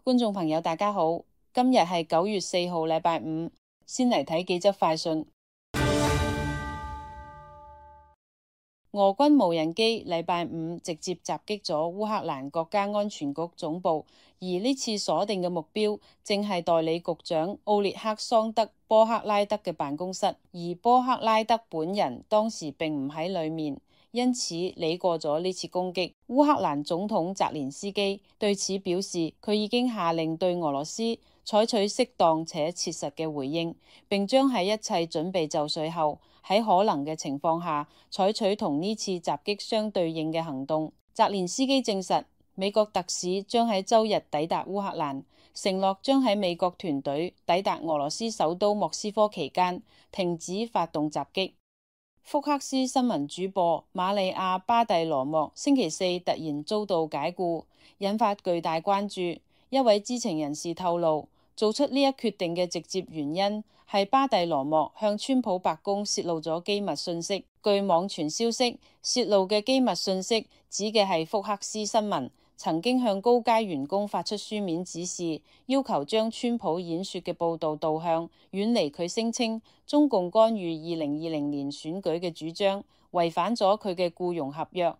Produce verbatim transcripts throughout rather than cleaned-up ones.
觀眾朋友大家好，今日係九月四號禮拜五，先嚟睇幾則快訊。俄軍無人機禮拜五直接襲擊咗烏克蘭國家安全局總部，而呢次鎖定嘅目標正係代理局長奧列克桑德波克拉德嘅辦公室，而波克拉德本人當時並唔喺裏面，因此理過咗呢次攻擊。烏克蘭總統澤連斯基對此表示，佢已經下令對俄羅斯採取適當且切實嘅回應，並將喺一切準備就緒後，喺可能嘅情況下採取同呢次襲擊相對應嘅行動。澤連斯基證實，美國特使將喺週日抵達烏克蘭，承諾將喺美國團隊抵達俄羅斯首都莫斯科期間停止發動襲擊。福克斯新聞主播瑪利亞巴蒂羅莫星期四突然遭到解雇，引發巨大關注。一位知情人士透露，做出呢一決定嘅直接原因係巴蒂羅莫向川普白宮泄露咗機密信息。據網傳消息，泄露嘅機密信息指嘅係福克斯新聞曾經向高階員工發出書面指示，要求將川普演說嘅報導導向遠離佢聲稱中共干預二零二零年選舉嘅主張，違反咗佢嘅僱傭合約。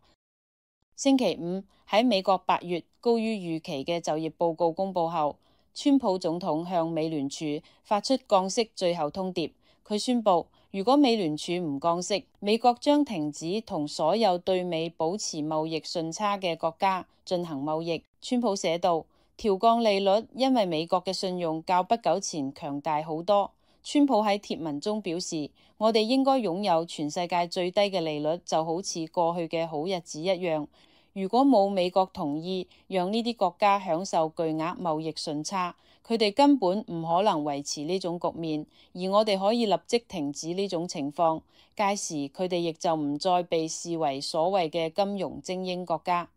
星期五喺美國八月高於預期嘅就業報告公佈後，川普總統向美聯儲發出降息最後通牒。佢宣布，如果美聯儲唔降息，美國將停止同所有對美保持貿易順差嘅國家進行貿易。川普寫道，調降利率因為美國嘅信用較不久前強大好多。川普喺貼文中表示，我哋應該擁有全世界最低嘅利率，就好似過去嘅好日子一樣。如果冇美國同意讓呢啲國家享受巨額貿易順差，佢哋根本唔可能維持呢種局面，而我哋可以立即停止呢種情況。屆時佢哋亦就唔再被視為所謂嘅金融精英國家。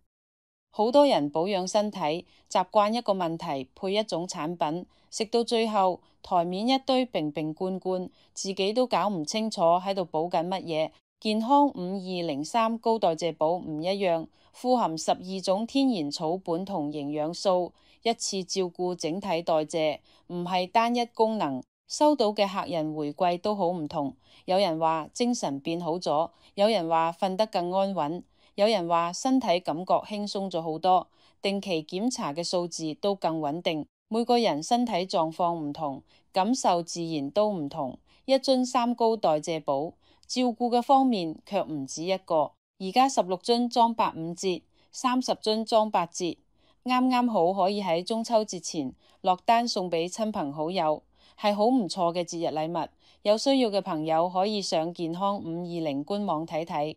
好多人保養身體，習慣一個問題配一種產品，食到最後台面一堆瓶瓶罐罐，自己都搞唔清楚喺度補緊乜嘢。健康五二零三高代謝寶唔一樣，富含十二種天然草本同營養素，一次照顧整體代謝，唔係單一功能。收到嘅客人回饋都好唔同，有人話精神變好咗，有人話瞓得更安穩，有人話身體感覺輕鬆咗好多，定期檢查嘅數字都更穩定。每個人身體狀況唔同，感受自然都唔同。一樽三高代謝寶，照顧嘅方面卻唔止一個。而家十六樽裝八五折，三十樽裝八折，啱啱好可以喺中秋節前落單送俾親朋好友，係好唔錯嘅節日禮物。有需要嘅朋友可以上健康五二零官網睇睇。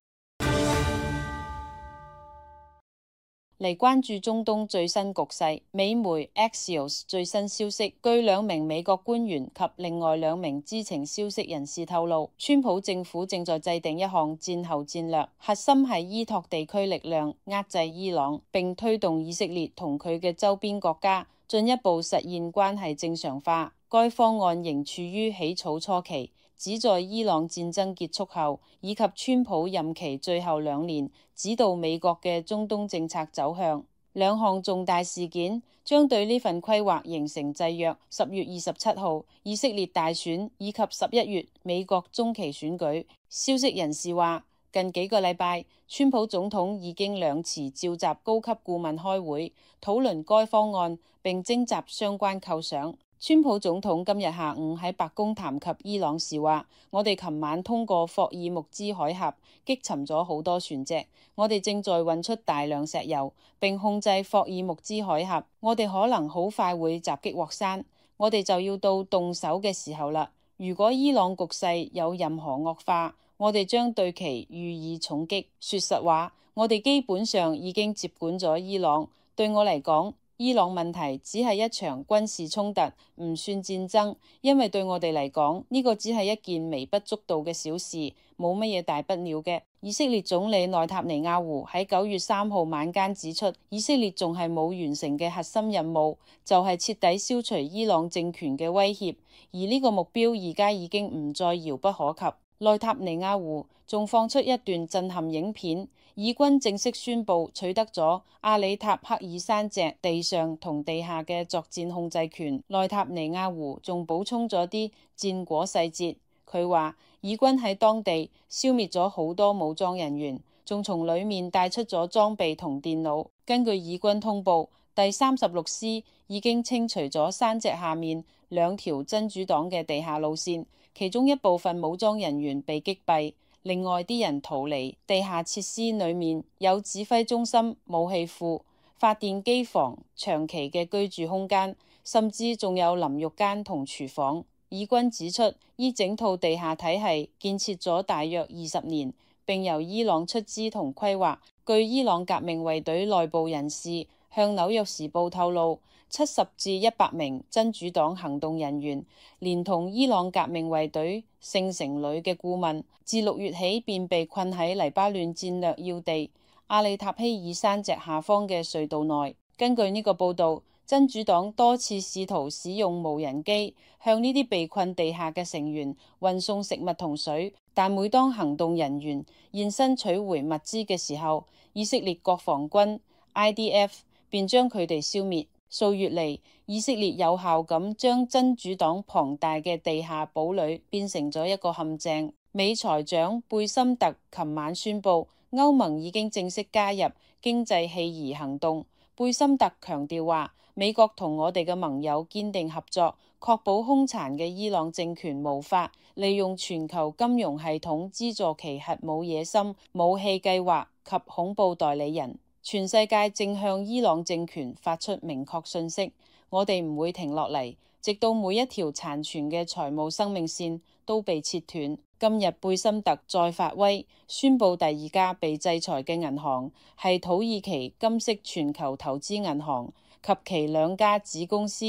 嚟關注中東最新局勢，美媒 Axios 最新消息，據兩名美國官員及另外兩名知情消息人士透露，川普政府正在制定一項戰後戰略，核心係依託地區力量壓制伊朗，並推動以色列同佢嘅周邊國家進一步實現關係正常化。該方案仍處於起草初期，旨在伊朗戰爭結束後，以及川普任期最後兩年指導美國嘅中東政策走向。兩項重大事件將對呢份規劃形成制約。十月二十七號以色列大選以及十一月美國中期選舉。消息人士話，近幾個禮拜，川普總統已經兩次召集高級顧問開會，討論該方案並徵集相關構想。川普總統今日下午喺白宮談及伊朗時話，我哋琴晚通過霍爾木茲海峽擊沉咗好多船隻，我哋正在運出大量石油，並控制霍爾木茲海峽，我哋可能好快會襲擊獲山，我哋就要到動手嘅時候啦。如果伊朗局勢有任何惡化，我哋將對其予以重擊。說實話，我哋基本上已經接管咗伊朗，對我嚟講，伊朗問題只係一場軍事衝突，唔算戰爭，因為對我哋嚟講，呢個只係一件微不足道嘅小事，冇乜嘢大不了嘅。以色列總理內塔尼亞胡喺九月三號晚間指出，以色列仲係冇完成嘅核心任務，就係徹底消除伊朗政權嘅威脅，而呢個目標而家已經唔再遙不可及。內塔尼亞胡仲放出一段震撼影片，以軍正式宣布取得咗阿里塔克爾山脊地上同地下嘅作戰控制權。內塔尼亞胡仲補充咗啲戰果細節，佢話以軍喺當地消滅咗好多武裝人員，仲從裡面帶出咗裝備同電腦。根據以軍通報，第三十六師已經清除咗山脊下面兩條真主黨嘅地下路線，其中一部分武裝人員被擊斃，另外啲人逃離。地下設施裡面有指揮中心、武器庫、發電機房、長期嘅居住空間，甚至仲有淋浴間同廚房。以軍指出，依整套地下體系建設咗大約二十年，並由伊朗出資同規劃。據伊朗革命衛隊內部人士向紐約時報透露，七十至一百名真主黨行動人員，連同伊朗革命衛隊聖城旅嘅顧問，自六月起便被困喺黎巴嫩戰略要地阿里塔希爾山脊下方嘅隧道內。根據呢個報導，真主黨多次試圖使用無人機向呢啲被困地下嘅成員運送食物同水，但每當行動人員現身取回物資嘅時候，以色列國防軍 I D F 便將佢哋消滅。數月嚟，以色列有效咁將真主黨龐大嘅地下堡壘變成咗一個陷阱。美財長貝森特琴晚宣布，歐盟已經正式加入經濟棄夷行動。貝森特強調話，美國同我哋嘅盟友堅定合作，確保兇殘嘅伊朗政權無法利用全球金融系統資助其核武野心、武器計劃及恐怖代理人。全世界正向伊朗政權發出明確訊息，我哋唔會停落嚟，直到每一條殘存嘅財務生命線都被切斷。今日貝森特再發威，宣布第二家被制裁嘅銀行係土耳其金色全球投資銀行及其兩家子公司。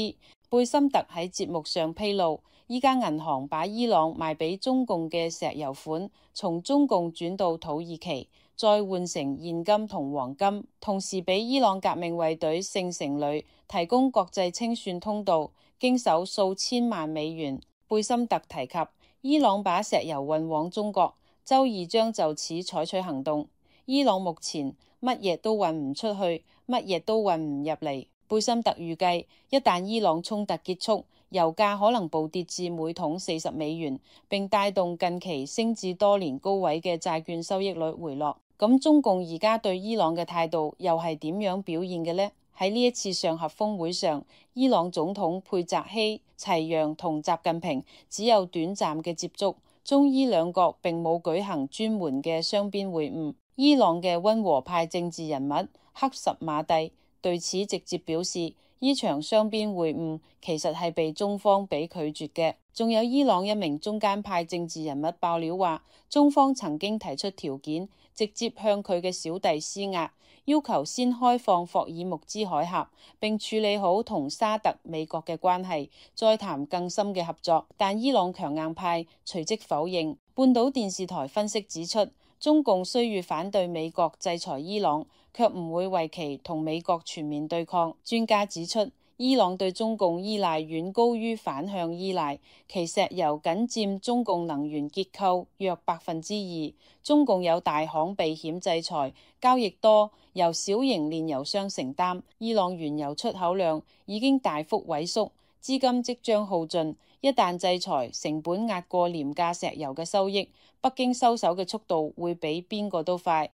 貝森特喺節目上披露，依家銀行把伊朗賣俾中共嘅石油款從中共轉到土耳其，再換成現金同黃金，同時俾伊朗革命衛隊聖城旅提供國際清算通道，經手數千萬美元。貝森特提及，伊朗把石油運往中國，周二將就此採取行動。伊朗目前乜嘢都運唔出去，乜嘢都運唔入嚟。貝森特預計，一旦伊朗衝突結束，油價可能暴跌至每桶四十美元，並帶動近期升至多年高位嘅債券收益率回落。咁中共而家對伊朗嘅態度又係點樣表現嘅呢？喺呢一次上合峰會上，伊朗總統佩澤希齊揚同習近平只有短暫嘅接觸，中伊兩國並冇舉行專門嘅雙邊會晤。伊朗嘅溫和派政治人物克什馬蒂對此直接表示，呢場雙邊會晤其實係被中方俾拒絕嘅。仲有伊朗一名中間派政治人物爆料話，中方曾經提出條件，直接向佢嘅小弟施壓，要求先開放霍爾木茲海峽，並處理好同沙特、美國嘅關係，再談更深嘅合作。但伊朗強硬派隨即否認。半島電視台分析指出，中共雖欲反對美國制裁伊朗，卻唔會為其同美國全面對抗。專家指出，伊朗對中共依賴遠高於反向依賴，其石油僅佔中共能源結構約百分之二。中共有大行避險制裁，交易多由小型煉油商承擔。伊朗原油出口量已經大幅萎縮，資金即將耗盡。一旦制裁，成本壓過廉價石油嘅收益，北京收手嘅速度會比邊個都快。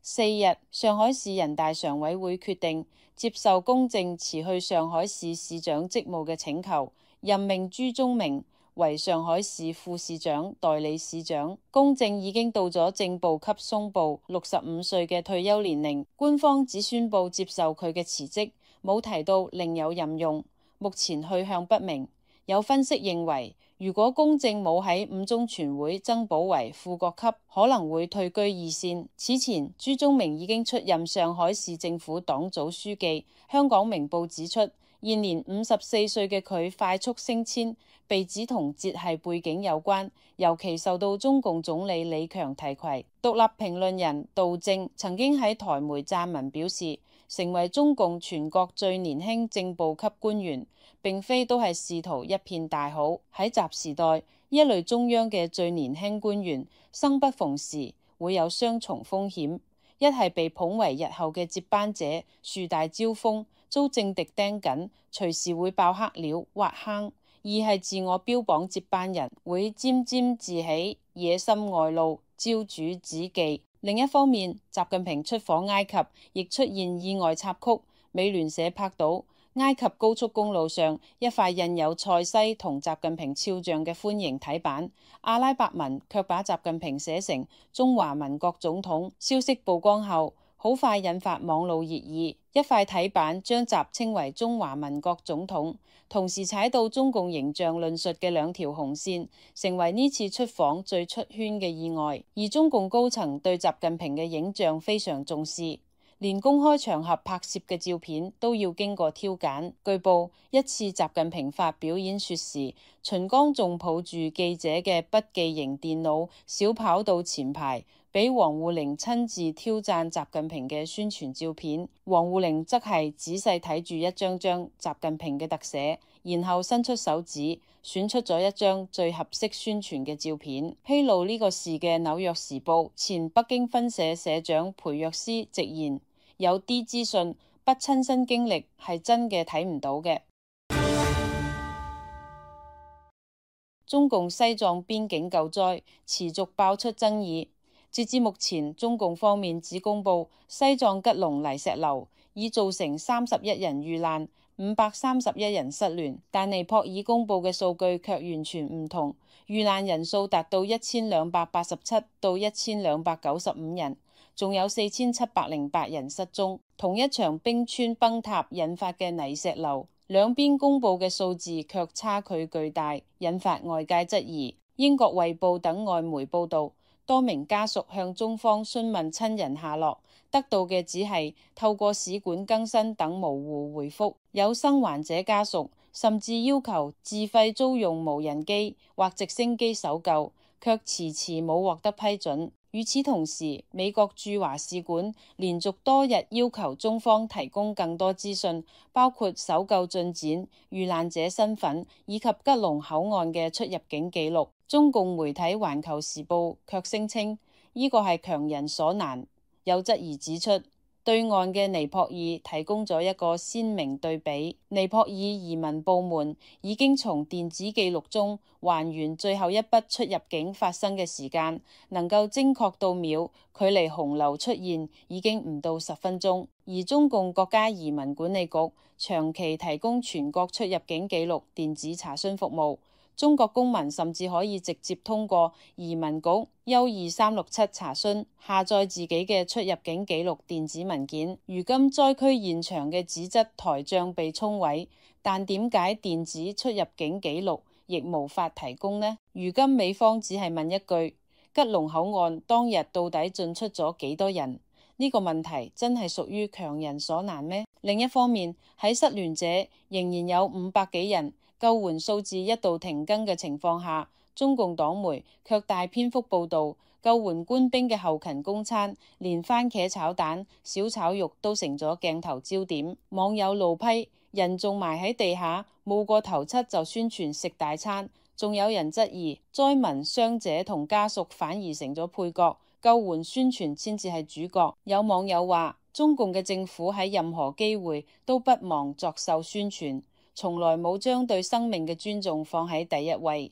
四日，上海市人大常委會決定接受公正辭去上海市市長職務嘅請求，任命朱宗明為上海市副市長、代理市長。公正已經到咗正部級松部六十五歲嘅退休年齡，官方只宣布接受佢嘅辭職，冇提到另有任用，目前去向不明。有分析認為，如果公正冇喺五中全會增補為副國級，可能會退居二線。此前，朱宗明已經出任上海市政府黨組書記。香港明報指出，現年五十四歲嘅佢快速升遷，被指同節系背景有關，尤其受到中共總理李強提攜。獨立評論人杜正曾經喺台媒撰文表示，成為中共全國最年輕正部級官員，並非都係仕途一片大好。喺習時代，一類中央嘅最年輕官員，生不逢時，會有雙重風險：一係被捧為日後嘅接班者，樹大招風，遭政敵盯緊，隨時會爆黑料挖坑；二係自我標榜接班人，會沾沾自喜，野心外露，招主子忌。另一方面，習近平出訪埃及，亦出現意外插曲。美聯社拍到埃及高速公路上一塊印有塞西同習近平肖像嘅歡迎睇板，阿拉伯文卻把習近平寫成中華民國總統。消息曝光後，好快引發網路熱議。一塊睇板將習稱為中華民國總統，同時踩到中共形象論述嘅兩條紅線，成為呢次出訪最出圈嘅意外。而中共高層對習近平嘅影像非常重視，連公開場合拍攝嘅照片都要經過挑揀。據報，一次習近平發表演說時，秦剛仲抱住記者嘅筆記型電腦，小跑到前排，俾王滬寧親自挑讚習近平嘅宣傳照片。王滬寧則係仔細睇住一張張習近平嘅特寫，然後伸出手指選出咗一張最合適宣傳嘅照片。披露呢個事嘅《紐約時報》前北京分社社長裴若思直言，有啲資訊不親身經歷係真嘅睇唔到嘅。中共西藏邊境救災持續爆出爭議。截至目前，中共方面只公布西藏吉隆泥石流已造成三十一人遇難，五百三十一人失聯，但尼泊爾公布嘅數據卻完全唔同，遇難人數達到一千兩百八十七到一千兩百九十五人，仲有四千七百零八人失蹤。同一場冰川崩塌引發嘅泥石流，兩邊公布嘅數字卻差距巨大，引發外界質疑。英國衛報等外媒報道，多名家屬向中方詢問親人下落，得到嘅只係透過使館更新等模糊回覆。有生還者家屬甚至要求自費租用無人機或直升機搜救，卻遲遲冇獲得批准。與此同時，美國駐華使館連續多日要求中方提供更多資訊，包括搜救進展、遇難者身份以及吉隆口岸嘅出入境記錄。中共媒體《環球時報》卻聲稱呢個係強人所難，有質疑指出，對岸嘅尼泊爾提供咗一個鮮明對比。尼泊爾移民部門已經從電子記錄中還原最後一筆出入境發生嘅時間，能夠精確到秒，距離洪流出現已經唔到十分鐘。而中共國家移民管理局長期提供全國出入境記錄電子查詢服務，中國公民甚至可以直接通過移民局一二三六七查詢，下載自己嘅出入境記錄電子文件。如今災區現場嘅紙質台帳被沖毀，但點解電子出入境記錄亦無法提供呢？如今美方只係問一句：吉隆口岸當日到底進出咗幾多人？呢個問題真係屬於強人所難咩？另一方面，喺失聯者仍然有五百幾人，救援數字一度停更嘅情況下，中共黨媒卻大篇幅報導救援官兵嘅後勤供餐，連番茄炒蛋、小炒肉都成咗鏡頭焦點。網友怒批人仲埋喺地下，冇過頭七就宣傳食大餐，仲有人質疑災民、傷者同家屬反而成咗配角，救援宣傳先至係主角。有網友話，中共嘅政府喺任何機會都不忘作秀宣傳，從來冇將對生命嘅尊重放喺第一位。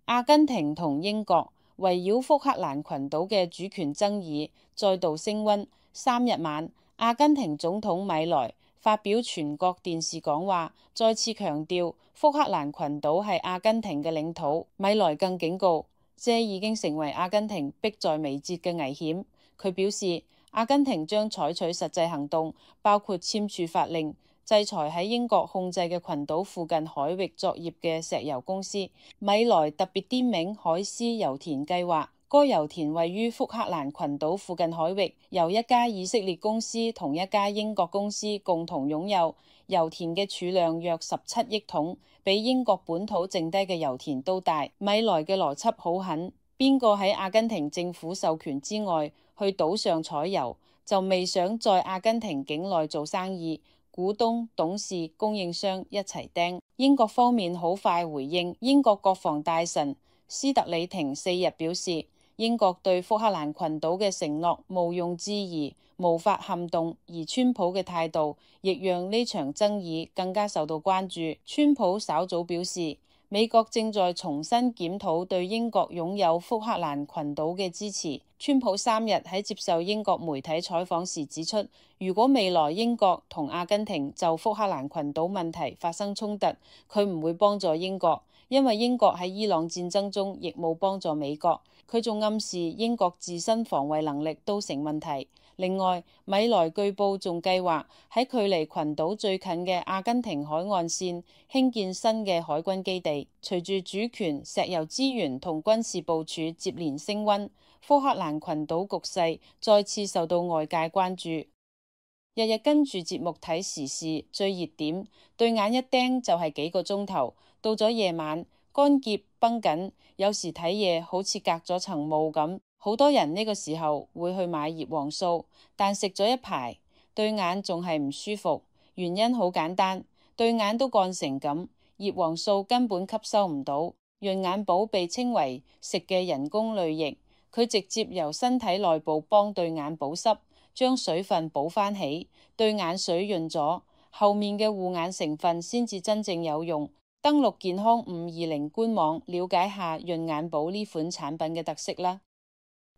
阿根廷同英國圍繞福克蘭群島嘅主權爭議再度升溫。三日晚，阿根廷總統米萊發表全國電視講話，再次強調福克蘭群島係阿根廷嘅領土。米萊更警告，這已經成為阿根廷迫在眉睫嘅危險。佢表示，阿根廷將採取實際行動，包括簽署法令，制裁喺英國控制嘅群島附近海域作業嘅石油公司。米萊特別點名海斯油田計劃，該油田位於福克蘭群島附近海域，由一家以色列公司同一家英國公司共同擁有。油田嘅儲量約十七億桶，比英國本土剩低嘅油田都大。米萊嘅邏輯好狠，邊個喺阿根廷政府授權之外去島上採油，就未想在阿根廷境內做生意。股東、董事、供應商一齊釘。英國方面好快回應，英國國防大臣斯特里廷四日表示，英國對福克蘭群島嘅承諾毋庸置疑，無法撼動，而川普嘅態度亦讓呢場爭議更加受到關注。川普稍早表示，美國正在重新檢討對英國擁有福克蘭群島嘅支持。川普三日喺接受英國媒體採訪時指出，如果未來英國同阿根廷就福克蘭群島問題發生衝突，佢唔會幫助英國，因為英國喺伊朗戰爭中亦冇幫助美國。佢仲暗示英國自身防衛能力都成問題。另外，米萊據報仲計劃喺距離群島最近嘅阿根廷海岸線興建新嘅海軍基地。隨住主權、石油資源同軍事部署接連升溫，福克蘭群島局勢再次受到外界關注。日日跟住節目睇時事，最熱點，對眼一盯就係幾個鐘頭。到咗夜晚，乾澀繃緊，有時睇嘢好似隔咗層霧咁。好多人呢個時候會去買葉黃素，但食咗一排，對眼仲係唔舒服。原因好簡單，對眼都乾成咁，葉黃素根本吸收唔到。潤眼寶被稱為食嘅人工淚液，佢直接由身體內部幫對眼保濕，將水分補返起，對眼水潤咗，後面嘅護眼成分先至真正有用。登錄健康五二零官網，了解下潤眼寶呢款產品嘅特色啦。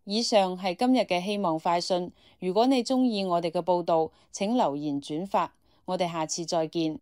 以上係今日嘅希望快訊，如果你鍾意我哋嘅報道，請留言轉發，我哋下次再見。